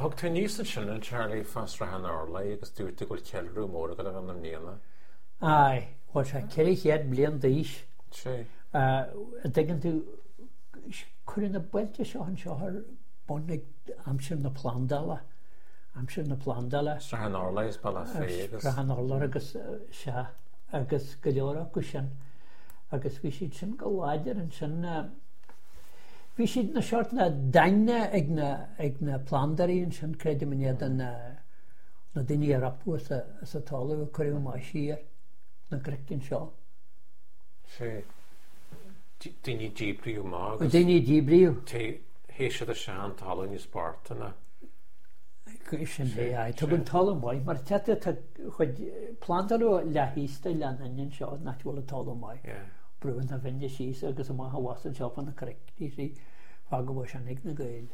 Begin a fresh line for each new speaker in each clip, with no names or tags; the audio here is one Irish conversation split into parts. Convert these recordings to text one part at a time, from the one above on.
Thug tú aníos ansin a Charlie fá Srath an Urláir agus dúirt tú go bhfuil ceiliúradh mór ag dul a bheith ann i mbliana.
Aye, bhuel sé 400 bliain d'aois.
Sé.
An dtuigeann tú, cuireadh na bailte seo anseo ar bun ag aimsir na plandála, aimsir na plandála.
Srath an Urláir is Bealach Féich agus.
Srath an Urláir agus, sea, agus go leor acu sin. Agus bhí siad sin go láidir ansin. Bhí siad ina seort na daingne ag na, ag na plandóirí ansin, creidim, in éadan na, na daoine a ropadh as a, as an talamh a cuireadh amach siar na gcnoic anseo.
Sea. Daoine díbríodh amach agus.
Daoine díbríodh.
Théadh siad isteach an talamh níos boichte ná.
Sin é, aye. Tugann talamh maith, mar tá tá chuid plandáladh leath thíos de Oileán Fhinn anseo, nach bhfuil an talamh maith.
Yeah.
Brúnn na Finne síos agus amach abhus anseo fá na cnoic, you see, fágadh é sin ag na Gaeil.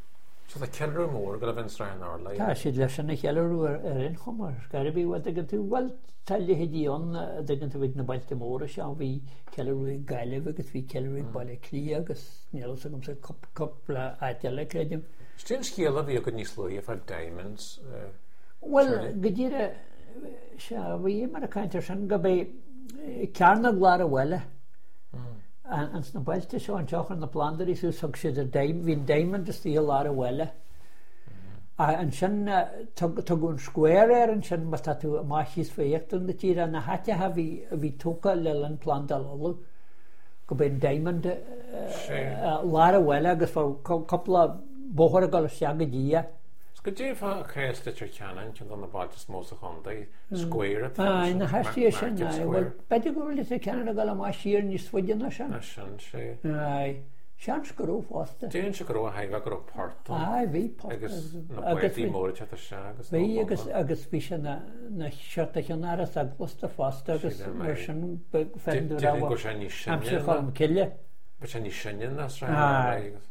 So tá ceiliúradh mór ag dul a bheith in Srath an Urláir.
Tá siad leis sin a cheiliúradh ar ar aon chuma, ar scor ar bith, bhuel, dtuigeann tú, bhuel, tá leithéidí ann, a dtuigeann tú, ag na bailte móra seo, bhí ceiliúradh ag Gaillimh agus bhí ceiliúradh ag Baile Átha Cliath agus níl a fhios agamsa cúpla áit eile, creidim.
Cad é an scéal a bhí agat níos luaithe fá Diamonds?
Bhuel, go díreach, sea, bhíomar ag caint ar sin go b'é cearnóg lár an bhaile. Ins na bailte seo anseo chuir na plandóirí suas thug siad an diamond, bhí an diamond istigh i lár an bhaile. Ansin tugadh an square air ansin má tá tú amach thíos fá íochtar na tíre, na háiteacha a bhí a bhí tógtha le linn plandáil Uladh, go b'é an diamond lár an bhaile agus bheadh cúpla bóthar ag dul isteach go dtí é.
Is go deimhin cá as Leitir Ceanainn, ceann de na bailte is mó sa chontae, square atá
ansin, na haistí sin, aye, bhuel, b'fhéidir go raibh Leitir Ceanainn ag dul amach siar níos faide ná sin.
Ná sin, sea.
Aye, seans go raibh fosta.
Déarfainn go raibh, a thaobh go raibh port ann.
Aye, bhí port.
Agus na bádaí móra ag teacht isteach agus.
Bhí agus agus bhí sé na na seort de cheannáras eaglasta fosta agus mar sin
féachann tú
raibh aimsir Cholm Cille.
Bhí sé níos sine ná Srath an Urláir agus.